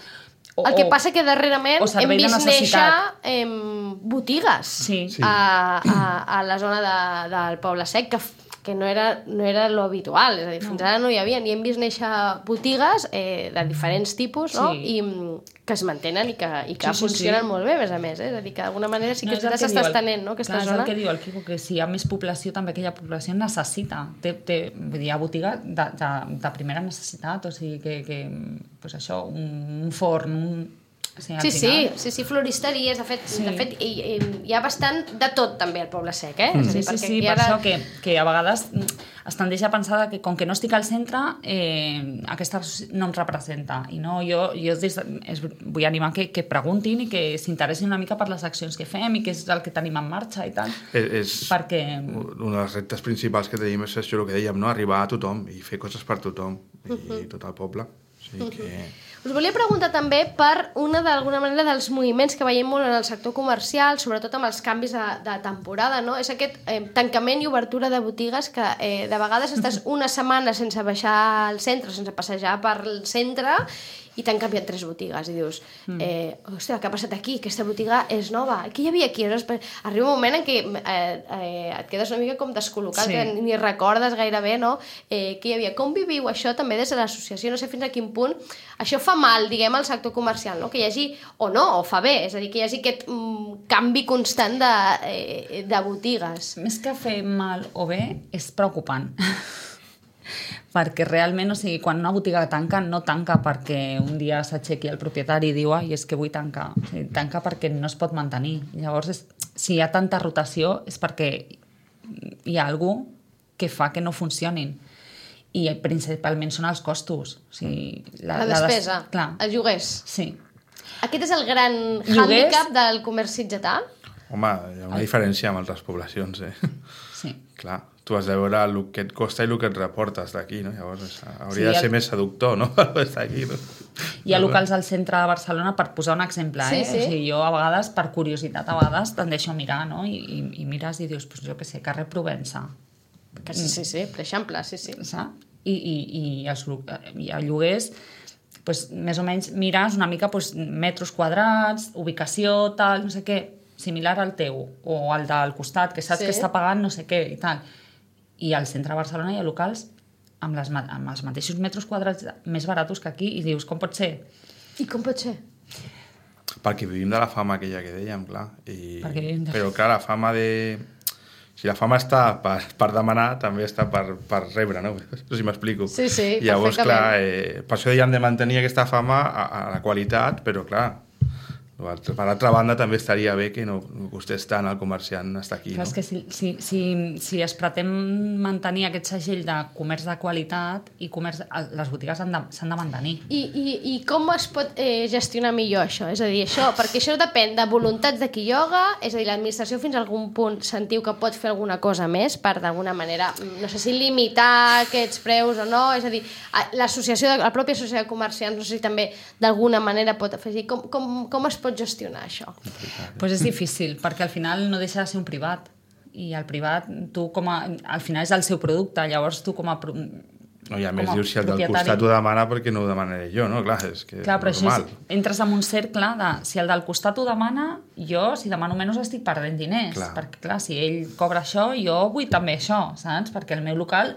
O, El que o- passa que darrerament o hem servei de vist néixer necessitat. em, botigues Sí. Sí. a, a, a la zona de, del Poble Sec, que, f- que no era, no era lo habitual, és a dir, fins ara no hi havia, i hem vist néixer botigues eh, de diferents tipus, no? Sí. I mm, que es mantenen i que, i que Sí, sí, funcionen sí. molt bé, a més a més, eh? És a dir, que d'alguna manera sí que No, és el s'està diu el- estenent, no?, aquesta clar, zona. És el que diu el Quico, que si hi ha més població, també aquella població necessita. Té, té, vull dir, hi ha botiga de, de, de primera necessitat, o sigui que, que pues això, un, un forn, un... O sigui, al Sí, sí, final- sí, sí, floristeries, de fet, Sí. de fet hi, hi, hi ha bastant de tot també al Poble Sec, eh? És a Sí, dir, sí, perquè sí, aquí per ara... això que, que a vegades es tendeix a pensar que com que no estic al centre, eh, aquesta no em representa. I no, jo, jo des de, es, vull animar que, que preguntin i que s'interessin una mica per les accions que fem i què és el que tenim en marxa i tal. És, és perquè... un dels reptes principals que tenim és això, el que dèiem, no? Arribar a tothom i fer coses per tothom i uh-huh. tot el poble. O sigui que... Us volia preguntar també per una d'alguna manera dels moviments que veiem molt en el sector comercial, sobretot amb els canvis de, de temporada, no? És aquest eh, tancament i obertura de botigues que eh, de vegades estàs una setmana sense baixar al centre, sense passejar per el centre i t'han canviat tres botigues i dius, eh, hòstia, què ha passat aquí? Aquesta botiga és nova. Què hi havia aquí? Arriba un moment en què eh, eh, et quedes una mica com descol·locat, sí. que ni recordes gairebé, no? Eh, què hi havia? Com viviu això també des de l'associació? No sé fins a quin punt això fa mal, diguem, al sector comercial, no? Que hi hagi, o no, o fa bé, és a dir, que hi hagi aquest mm, canvi constant de, eh, de botigues. Més que fer mal o bé, és preocupant. Perquè realment, o sigui, quan una botiga tanca, no tanca perquè un dia s'aixequi el propietari i diu, ai, és que vull tancar. O sigui, tanca perquè no es pot mantenir. Llavors, és, si hi ha tanta rotació és perquè hi ha algú que fa que no funcionin. I principalment són els costos. O sigui, la, la despesa, la des... els lloguers. Sí. Aquest és el gran lloguers... hàndicap del comerç sitgetà? Home, hi ha una diferència amb altres poblacions, eh? Sí. Clar, tu has de veure el que et costa i el que et reportes d'aquí, no? Llavors hauria sí, de ser el... més seductor, no? Estar aquí, no? Hi ha locals al centre de Barcelona, per posar un exemple, sí, eh? Sí. O sigui, jo a vegades, per curiositat, a vegades tendeixo a mirar, no? I, i, i mires i dius, pues, jo què sé, carrer Provença. Que sí, sí, sí, per exemple, sí, sí. Saps? I, i, i, els, i a lloguers, pues, més o menys mires una mica pues, metres quadrats, ubicació, tal, no sé què, similar al teu, o al del costat, que saps sí. que està pagant no sé què i tal. I al centre de Barcelona hi ha locals amb, les, amb els mateixos metres quadrats més baratos que aquí, i dius, com pot ser? I com pot ser? Perquè vivim de la fama aquella que dèiem, clar. I... De... Però, clar, la fama de... Si la fama està per, per demanar, també està per, per rebre, no? No sé si m'explico. Sí, sí, llavors, perfectament. clar, eh, per això dèiem de mantenir aquesta fama a, a la qualitat, però, clar, per altra banda també estaria bé que no costés tant el comerciant estar aquí. Clar, no? És que si, si, si, si es pretén mantenir aquest segell de comerç de qualitat i comerç, les botigues s'han de, de mantenir. I, i, I com es pot eh, gestionar millor això? És a dir, això, perquè això depèn de voluntats de qui lloga, és a dir, l'administració fins a algun punt sentiu que pot fer alguna cosa més per d'alguna manera, no sé si limitar aquests preus o no, és a dir, l'associació, la pròpia associació de comerciants, no sé si també d'alguna manera pot afegir, com, com, com es pot gestionar això? Pues és difícil, perquè al final no deixa de ser un privat, i el privat, tu com a, al final és el seu producte, llavors tu com a... No, i a més dius, si el del costat ho demana, perquè no ho demanaré jo, no? Clar, és que clar, però normal. Això és, entres en un cercle de, si el del costat ho demana, jo, si demano menys, estic perdent diners, clar. Perquè clar, si ell cobra això, jo vull també això, saps? Perquè el meu local...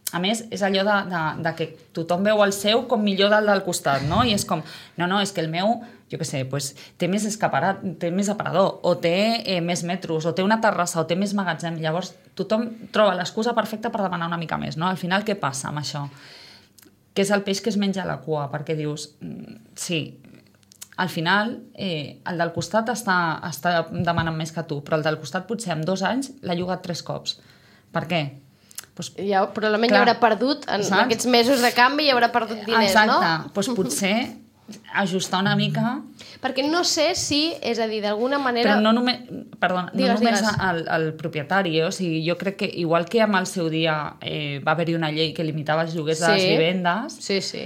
A més, és allò de, de, de que tothom veu el seu com millor del del costat, no? I és com, no, no, és que el meu, jo què sé, pues, té més escaparat, té més aparador, o té eh, més metros, o té una terrassa, o té més magatzem. Llavors, tothom troba l'excusa perfecta per demanar una mica més, no? Al final, què passa amb això? Que és el peix que es menja a la cua, perquè dius, sí, al final, eh, el del costat està, està demanant més que tu, però el del costat potser en dos anys l'ha llogat tres cops. Per què? Pues, ja, probablement clar, hi haurà perdut en saps? Aquests mesos de canvi hi haurà perdut diners, exacte. No? Exacte, doncs potser ajustar una mica... Perquè no sé si, és a dir, d'alguna manera... Però no només, perdona, digues, no només digues. El, el propietari, eh? O sigui, jo crec que igual que amb el seu dia eh, va haver-hi una llei que limitava els lloguers sí. de les vivendes, sí, sí.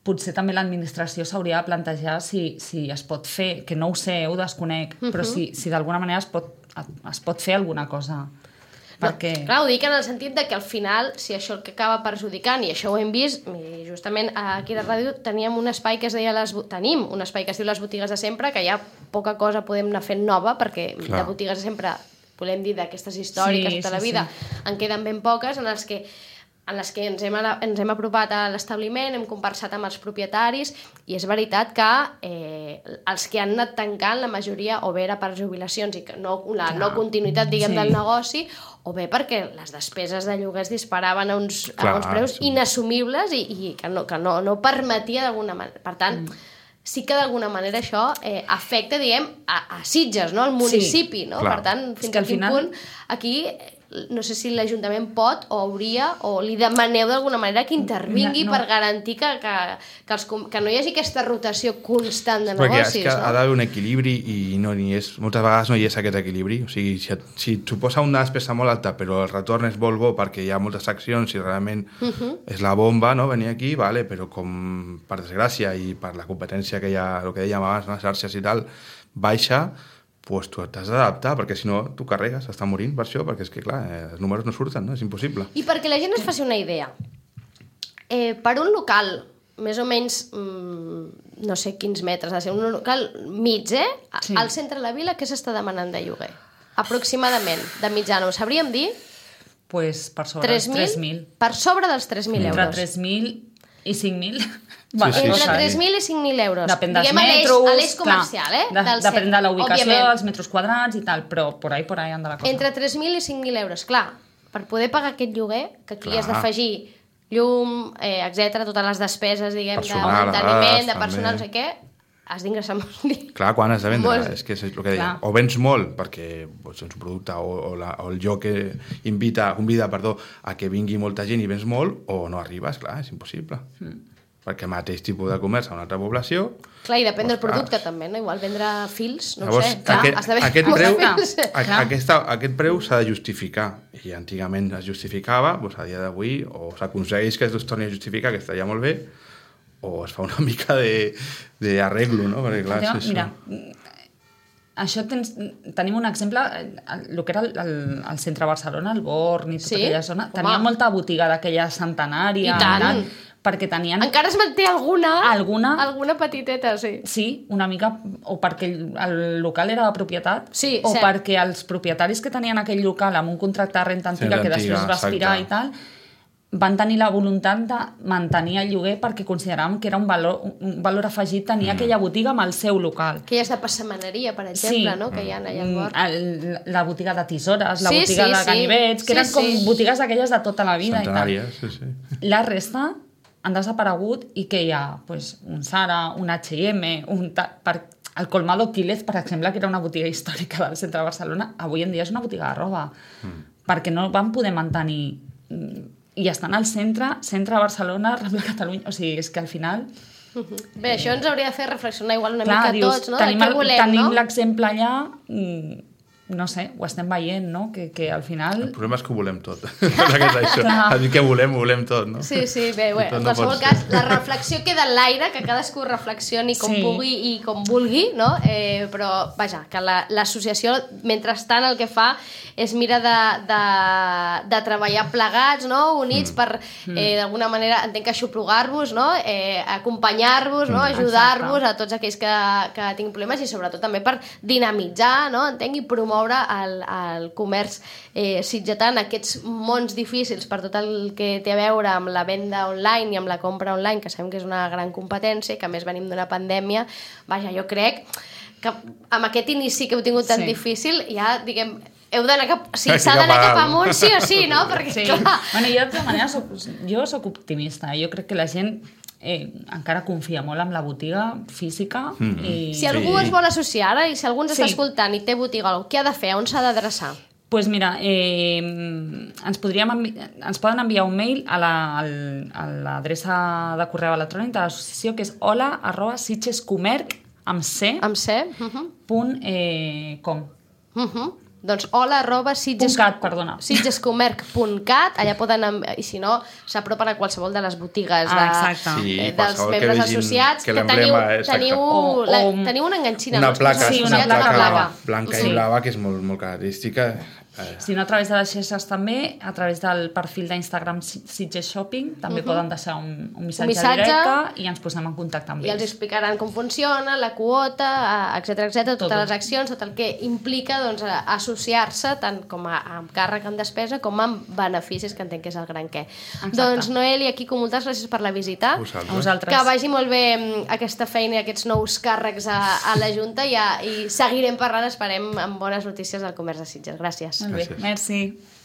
potser també l'administració s'hauria de plantejar si, si es pot fer, que no ho sé, ho desconec, uh-huh. però si, si d'alguna manera es pot, es pot fer alguna cosa... Perquè... No, clar, ho dic en el sentit de que al final, si això el que acaba perjudicant, i això ho hem vist, i justament aquí a la ràdio teníem un espai que es deia les, tenim un espai que es diu les botigues de sempre, que ja poca cosa podem anar fent nova, perquè clar. De botigues de sempre, volem dir, d'aquestes històriques sí, tota la vida, sí, sí. en queden ben poques, en les que en les que ens hem, ens hem apropat a l'establiment, hem conversat amb els propietaris, i és veritat que eh, els que han anat tancant, la majoria, o bé era per jubilacions i que no, la clar. No continuïtat, diguem, sí. del negoci, o bé perquè les despeses de lloguers disparaven a uns, clar, a uns preus sí. inassumibles i, i que, no, que no, no permetia d'alguna manera. Per tant, mm. sí que d'alguna manera això eh, afecta, diguem, a, a Sitges, no? Al municipi, sí, no? Clar. Per tant, fins a quin final... punt aquí no sé si l'Ajuntament pot o hauria, o li demaneu d'alguna manera que intervingui no, no. per garantir que, que, que, els, que no hi hagi aquesta rotació constant de Perquè negocis. És que no? ha d'haver un equilibri i no n'hi és, moltes vegades no hi és aquest equilibri. O sigui, si, si et suposa una despesa molt alta però el retorn és molt bo perquè hi ha moltes accions i realment uh -huh. és la bomba, no? Venir aquí, vale, però com per desgràcia i per la competència que hi ha, el que dèiem abans, les xarxes i tal, baixa, pues tu t'has d'adaptar, perquè si no tu carregues, està morint per això, perquè és que clar, eh, els números no surten, no? És impossible. I perquè la gent es faci una idea, eh, per un local més o menys, mmm, no sé quins metres, ha de ser un local mig, eh? Sí. Al centre de la vila, què s'està demanant de lloguer? Aproximadament, de mitjana, ho sabríem dir? Pues per sobre dels tres mil. Per sobre dels tres mil euros. Entre tres mil i cinc mil. Bueno, sí, sí, entre tres mil i cinc mil euros. Depèn dels Diguem metros, a l'eix comercial, eh? De, del depèn de la ubicació, òbviament. dels metres quadrats i tal, però por ahí, por ahí anda la cosa. Entre tres mil i cinc mil euros, clar, per poder pagar aquest lloguer, que aquí clar. has d'afegir llum, eh, etcètera, totes les despeses, diguem, personal, de manteniment, de també. personal, no sé què, has d'ingressar molt diners. Clar, quan has de vendre, Molt... és que és el que deia. O vens molt perquè doncs, és un producte o, o, la, o el lloc que invita, convida perdó, a que vingui molta gent i vens molt, o no arribes, clar, és impossible. Mm. Perquè mateix tipus de comerç a una altra població... Clar, i depèn doncs, del producte clar. també, no? Igual vendre fils, no Llavors, ho sé. Clar, aquest, has de aquest, preu, a, aquesta, aquest preu s'ha de justificar. I antigament es justificava, doncs a dia d'avui, o s'aconsegueix que es torni a justificar, que estaria molt bé, o es fa una mica d'arreglo, no? Perquè, clar, Tio, és mira, això tens, tenim un exemple, el, el que era el, el, el centre de Barcelona, el Born i tota sí? aquella zona, Home. tenia molta botiga d'aquella centenària. I tant. tant, perquè tenien... Encara es manté alguna, alguna, alguna petiteta, sí. Sí, una mica, o perquè el, el local era de propietat, sí, o cert. perquè els propietaris que tenien aquell local amb un contracte de renta antiga, sí, que després va expirar i tal, van tenir la voluntat de mantenir el lloguer perquè consideràvem que era un valor, un valor afegit tenir mm. aquella botiga amb el seu local. Que ja és de passamaneria, per exemple, sí. no? Que hi ha allà al bord. El, la botiga de tisores, la sí, botiga sí, de ganivets, sí. que eren sí, com sí. botigues d'aquelles de tota la vida. Centenàries, i tal. sí, sí. La resta han desaparegut i que hi ha pues, un Zara, un H i M, un ta... per... el Colmado Quílez, per exemple, que era una botiga històrica del centre de Barcelona, avui en dia és una botiga de roba, mm. perquè no van poder mantenir... I estan al centre, centre de Barcelona, Rambla Catalunya, o sigui, és que al final... Uh -huh. Bé, això ens hauria de fer reflexionar igual una clar, mica dius, tots, no? Tenim, de què volem, tenim no? l'exemple allà... Mm, no sé, ho estem veient, no? Que, que al final... El problema és que ho volem tot. És això. A dir que volem, ho volem tot, no? Sí, sí, bé, bé. En no qualsevol cas, la reflexió queda en l'aire, que cadascú reflexioni com sí. pugui i com vulgui, no? Eh, però, vaja, que l'associació, la, mentrestant, el que fa és mira de, de, de treballar plegats, no? Units mm. per, eh, d'alguna manera, entenc que aixoplugar-vos, no? Eh, acompanyar-vos, no? Mm. Ajudar-vos a tots aquells que, que tinguin problemes i sobretot també per dinamitzar, no? Entenc, i promoure el, el comerç eh, sitgetà en aquests mons difícils per tot el que té a veure amb la venda online i amb la compra online, que sabem que és una gran competència i que a més venim d'una pandèmia. Vaja, jo crec que amb aquest inici que heu tingut tan sí. difícil ja, diguem, heu d'anar cap... Sí, s'ha d'anar cap amunt, sí o sí, no? Perquè, sí. clar... Bueno, jo, de tota manera, soc, jo soc optimista. Jo crec que la gent eh, encara confia molt en la botiga física. Mm. I... Si algú sí. es vol associar ara i si algú ens sí. està escoltant i té botiga, què ha de fer? On s'ha d'adreçar? Doncs pues mira, eh, ens, podríem envi ens poden enviar un mail a l'adreça la, de correu electrònic de l'associació, que és hola arroba sitgescomerc amb C, amb C. Uh -huh. punt eh, com. Uh -huh. Doncs hola arroba sitges... .cat, perdona. sitgescomerc punt cat, allà poden, i si no, s'apropen a qualsevol de les botigues ah, de, sí, eh, dels membres associats, que, que teniu, teniu, o, la, o, teniu una enganxina. Una placa, sí, una, una placa, placa blanca sí. i blava, que és molt, molt característica. Si no, a través de les xarxes també, a través del perfil d'Instagram Sitges Shopping, també uh -huh. poden deixar un, un, missatge, un missatge directe i ens posem en contacte amb i ells. I els explicaran com funciona, la quota, etcètera, etcètera, totes tot. les accions, tot el que implica doncs, associar-se tant com a, amb càrrec en despesa com amb beneficis, que entenc que és el gran què. Exacte. Doncs, Noel i Quico, moltes gràcies per la visita. A vosaltres. Que vagi molt bé aquesta feina i aquests nous càrrecs a, a la Junta i, a, i seguirem parlant, esperem, amb bones notícies del comerç de Sitges. Gràcies. Molt bé, gràcies. merci.